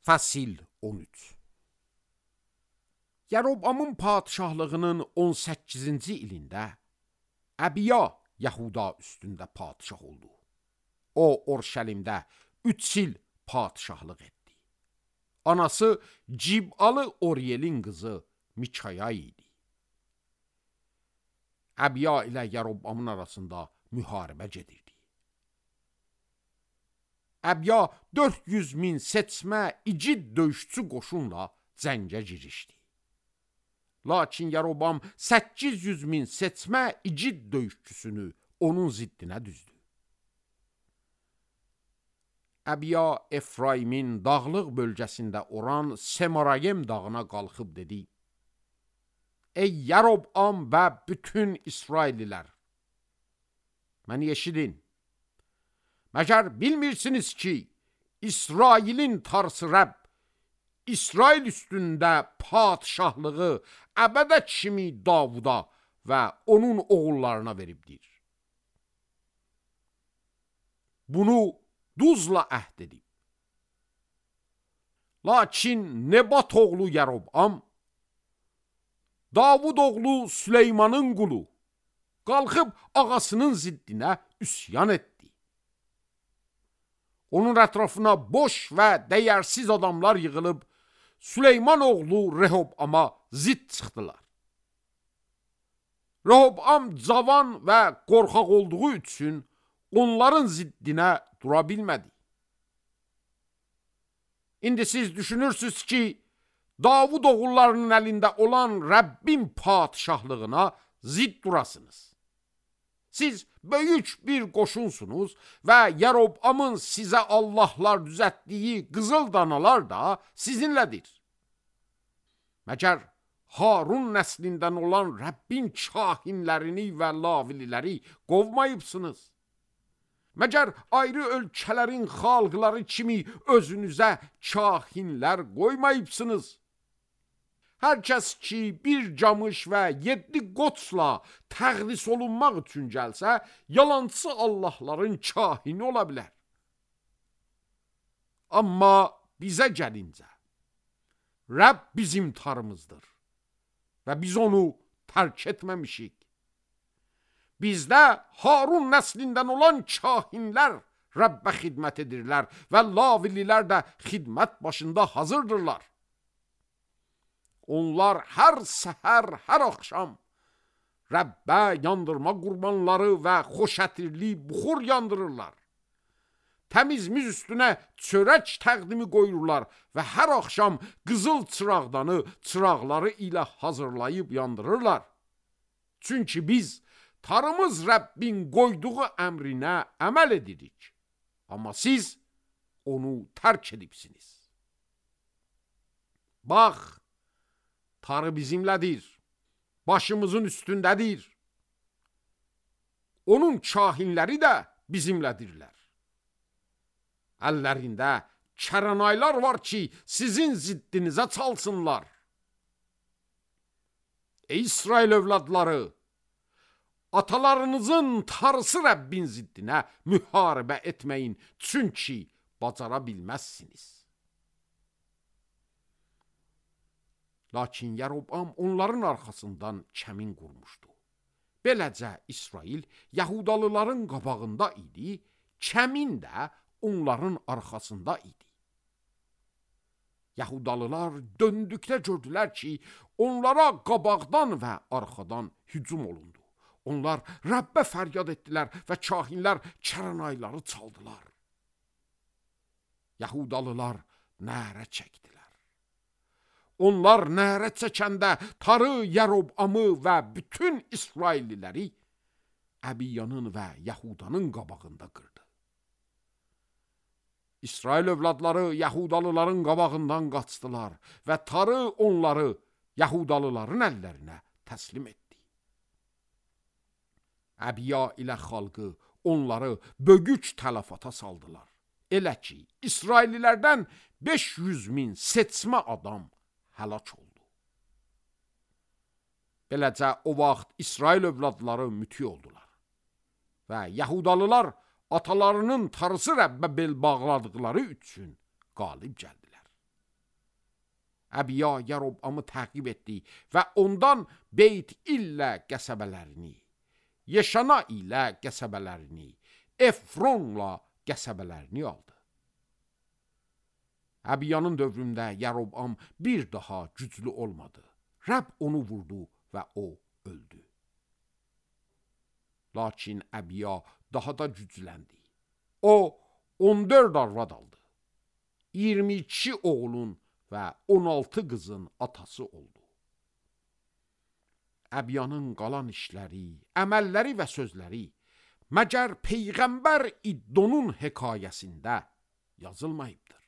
Fəsil 13. Yerobamın padişahlığının 18-ci ilində Əbiya Yahuda üstündə padişah oldu. O, Orşəlimdə 3 il padişahlıq etdi. Anası Cib'alı Orielin qızı Mikaya idi. Əbiya ilə Yerobamın arasında müharibə gedirdi. Əbiya 400 min seçmə igid döyüşçü qoşunla cəngə girişdi. Lakin Yerobam 800 min seçmə igid döyüşçüsünü onun ziddinə düzdü. Əbiya Efraimin dağlıq bölgəsində oran Semarayim dağına qalxıb dedi: Ey Yerobam və bütün İsraillilər, məni eşidin. Məgər bilmirsiniz ki, İsrailin tarsı Rəbb, İsrail üstündə padişahlığı əbədə kimi Davuda və onun oğullarına veribdir. Bunu duzla əhd edib. Lakin Nebat oğlu Yerobam, Davud oğlu Süleymanın qulu, qalxıb ağasının ziddinə üsyan etdi. Onun ətrafına boş və dəyərsiz adamlar yığılıb, Süleyman oğlu Rehobama zidd çıxdılar. Rehobam cavan və qorxaq olduğu üçün onların ziddinə dura bilmədi. İndi siz düşünürsünüz ki, Davud oğullarının əlində olan Rəbbin padişahlığına zidd durasınız. Siz böyük bir qoşunsunuz və Yerobamın sizə Allahlar düzətdiyi qızıl danalar da sizinlədir. Məgər Harun nəslindən olan Rəbbin kahinlərini və lavililəri qovmayıbsınız? Məgər ayrı ölkələrin xalqları kimi özünüzə kahinlər qoymayıbsınız? Hər kəs ki, bir camış və 7 qoçla təqdis olunmaq üçün gəlsə, yalançı Allahların kahini ola bilər. Amma bizə gəlincə, Rəbb bizim tarımızdır və biz onu tərk etməmişik. Bizdə Harun nəslindən olan kahinlər Rəbbə xidmət edirlər və lavililər də xidmət başında hazırdırlar. Onlar hər səhər, hər axşam Rəbbə yandırma qurbanları və xoşətirli buxur yandırırlar. Təmiz miz üstünə çörək təqdimi qoyurlar və hər axşam qızıl çıraqdanı çıraqları ilə hazırlayıb yandırırlar. Çünki biz tarımız Rəbbin qoyduğu əmrinə əməl edirik. Amma siz onu tərk edibsiniz. Bax, tarı bizimlədir, başımızın üstündədir. Onun kahinləri də bizimlədirlər. Əllərində kəranaylar var ki, sizin ziddinizə çalsınlar. Ey İsrail övladları, atalarınızın tarısı Rəbbin ziddinə müharibə etməyin, çünki bacara bilməzsiniz. Lakin Yerobam onların arxasından kəmin qurmuşdu. Beləcə İsrail Yahudalıların qabağında idi, kəmin də onların arxasında idi. Yahudalılar döndükdə gördülər ki, onlara qabaqdan və arxadan hücum olundu. Onlar Rəbbə fəryad etdilər və kahinlər kəranayları çaldılar. Yahudalılar nərə çəkdilər. Onlar nərə çəkəndə tarı Yerobamı və bütün İsrailliləri Əbiyanın və Yahudanın qabağında qırdı. İsrail övladları Yahudalıların qabağından qaçdılar və tarı onları Yahudalıların əllərinə təslim etdi. Əbiya ilə xalqı onları bögük tələfata saldılar. Elə ki, İsraillilərdən 500 min seçmə adam həlak oldu. Beləcə o vaxt İsrail övladları müti oldular və Yahudalılar atalarının tarısı Rəbbə bel bağladıqları üçün qalib gəldilər. Əbiya Yarobamı təqib etdi və ondan Beyt illə qəsəbələrini, Yeşana ilə qəsəbələrini, Efronla qəsəbələrini aldı. Əbiyanın dövründə Yarobam bir daha güclü olmadı. Rəbb onu vurdu və o öldü. Lakin Əbiya daha da gücləndi. O 14 arvad aldı. 22 oğlun və 16 qızın atası oldu. Əbiyanın qalan işləri, əməlləri və sözləri məgər Peyğəmbər İddonun hekayəsində yazılmayıbdır.